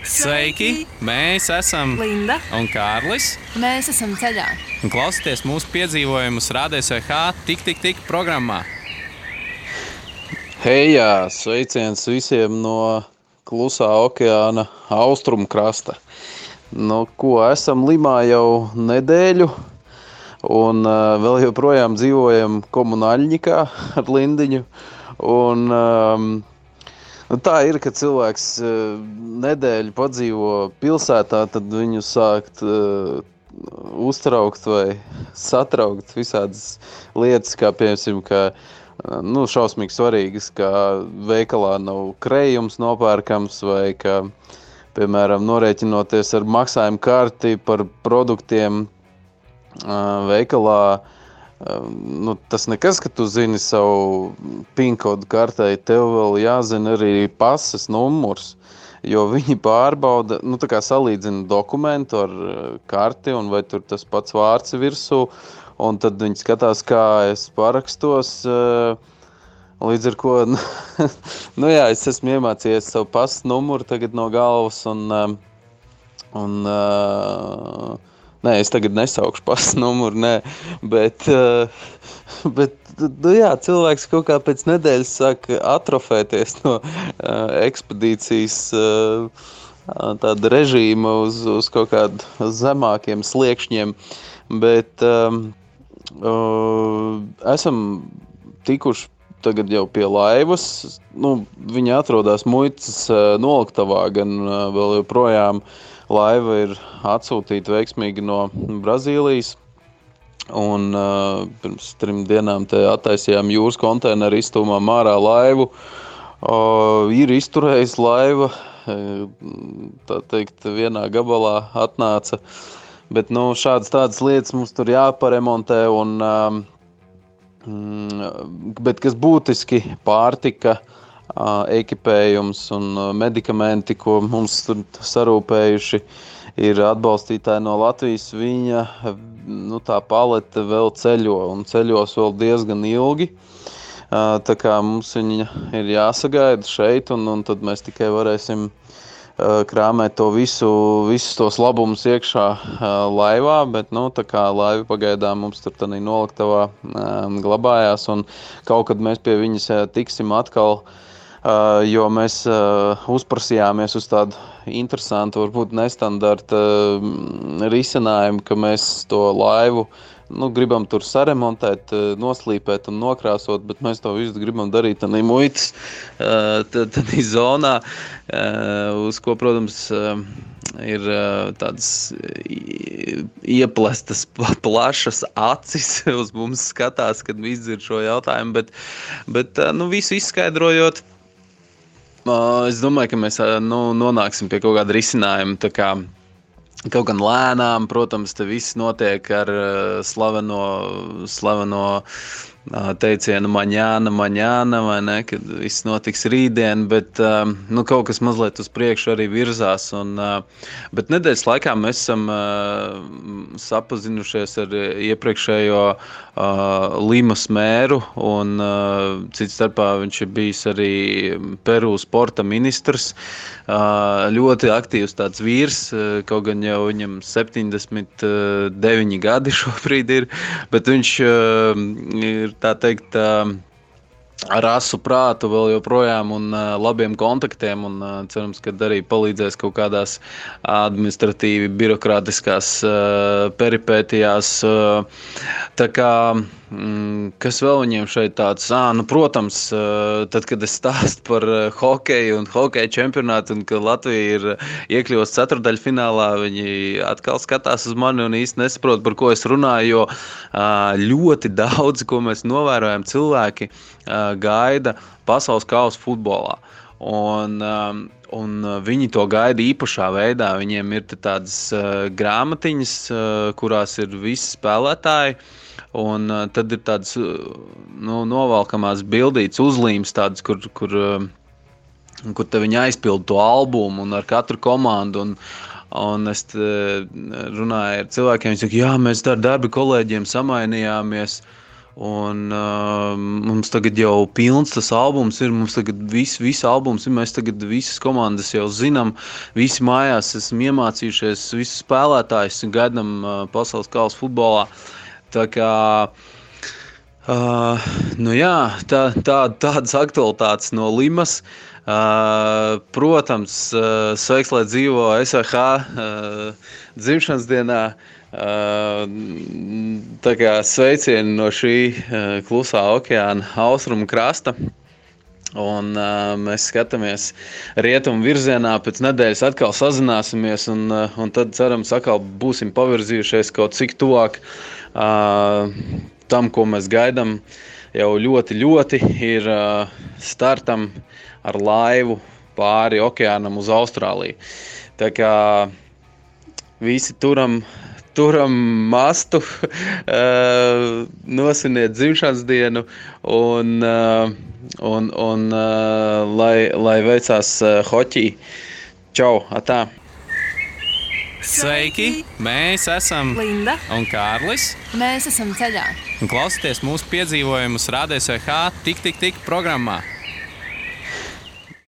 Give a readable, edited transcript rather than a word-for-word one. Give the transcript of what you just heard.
Sveiki! Mēs esam Linda un Kārlis. Mēs esam ceļā. Un klausieties mūsu piedzīvojumus Radio SVH Tik programmā. Hejā! Sveiciens visiem no Klusā okeāna austrumu krasta. Esam Limā jau nedēļu un vēl joprojām dzīvojam komunāļņikā ar Lindiņu. Tā ir, ka cilvēks nedēļu padzīvo pilsētā, tad viņu sākt uztraukt vai satraukt visādas lietas, kā piemēram, šausmīgi svarīgas, kā veikalā nav krējums nopērkams vai ka, piemēram, norēķinoties ar maksājumu karti par produktiem veikalā. Tas nekas, ka tu zini savu PIN-kodu kartei, tev vēl jāzina arī pases numurs, jo viņi pārbauda, salīdzina dokumentu ar karti un vai tur tas pats vārds virsū, un tad viņi skatās, kā es parakstos, līdz ar ko, es esmu iemācījies savu pases numuru tagad no galvas Nē, es tagad nesaukšu pases numuru, bet cilvēks kaut kā pēc nedēļas sāk atrofēties no ekspedīcijas tāda režīma uz kaut kādu zemākiem sliekšņiem, bet esam tikuši tagad jau pie laivas, viņi atrodas muitas noliktavā, gan vēl joprojām laiva ir atsūtīta veiksmīgi no Brazīlijas, un pirms 3 dienām te attaisījām jūras konteineru, izstūmām ārā laivu. Ir izturējis laiva, tā teikt, vienā gabalā atnāca, bet tādas lietas mums tur jāparemontē, bet kas būtiski pārtika, ekipējums un medikamenti, ko mums tur sarūpējuši, ir atbalstītāji no Latvijas. Viņa tā palete vēl ceļo un ceļos vēl diezgan ilgi. Tā kā mums viņa ir jāsagaida šeit, un tad mēs tikai varēsim krāmēt to visus tos labumus iekšā laivā, bet tā kā laiva pagaidām mums tur tādā noliktavā glabājās, un kaut kad mēs pie viņas tiksim atkal, jo mēs uzprasījāmies uz tādu interesantu, varbūt nestandarta risinājumu, ka mēs to laivu gribam tur saremontēt, noslīpēt un nokrāsot, bet mēs to visu gribam darīt tādā muitas tādā zonā, uz ko, protams, ir tādas ieplestas plašas acis uz mums skatās, kad izdzird šo jautājumu, bet visu izskaidrojot, es domāju, ka mēs nonāksim pie kaut kāda risinājuma, tā kā kaut gan lēnām, protams, te viss notiek ar slaveno teicienu maņāna, vai ne, kad viss notiks rītdien, bet kaut kas mazliet uz priekšu arī virzās. Bet nedēļas laikā mēs esam sapazinušies ar iepriekšējo Limas mēru, un cits starpā viņš ir bijis arī Peru sporta ministrs. Ļoti aktīvs tāds vīrs, kaut gan jau viņam 79 gadi šobrīd ir, bet viņš ir, tā teikt, ar asu prātu vēl joprojām un labiem kontaktiem, un cerams, ka arī palīdzēs kaut kādās administratīvi birokrātiskās peripētijās. Tā kā, kas vēl viņiem šeit tāds? Protams, tad, kad es stāstu par hokeju un hokeja čempionātu, un ka Latvija ir iekļuvusi ceturtdaļfinālā, viņi atkal skatās uz mani un īsti nesaprot, par ko es runāju, jo ļoti daudz, ko mēs novērojam, cilvēki gaida pasaules kausa futbolā. Un viņi to gaida īpašā veidā. Viņiem ir tādas grāmatiņas, kurās ir visi spēlētāji, un tad ir tādas novalkamās bildītas uzlīmes, tādas, kur te viņi aizpilda to albumu un ar katru komandu. Un es runāju ar cilvēkiem, viņi saka, jā, mēs ar darba kolēģiem samainījāmies. Un mums tagad jau pilns tas albums ir, mums tagad viss albums ir, mēs tagad visas komandas jau zinām, visi mājās esam iemācījušies, visus spēlētājus gaidām pasaules kausa futbolā. Tā kā, tādas aktualitātes no Limas. Protams, sveiks, lai dzīvo SVH dzimšanas dienā. Tā kā sveicieni no šī klusā okeāna austrumu krasta. Un mēs skatāmies rietumu virzienā, pēc nedēļas atkal sazināsimies un tad cerams atkal būsim pavirzījušies kaut cik tuvāk tam, ko mēs gaidām jau ļoti ir startam ar laivu pāri okeānam uz Austrāliju. Tā kā visi turam mastu, nosviniet dzimšanas dienu un lai veicās hoķī. Čau, atā! Sveiki! Mēs esam Linda un Kārlis. Mēs esam ceļā. Un klausieties mūsu piedzīvojumus Rādio SVH Tik programmā.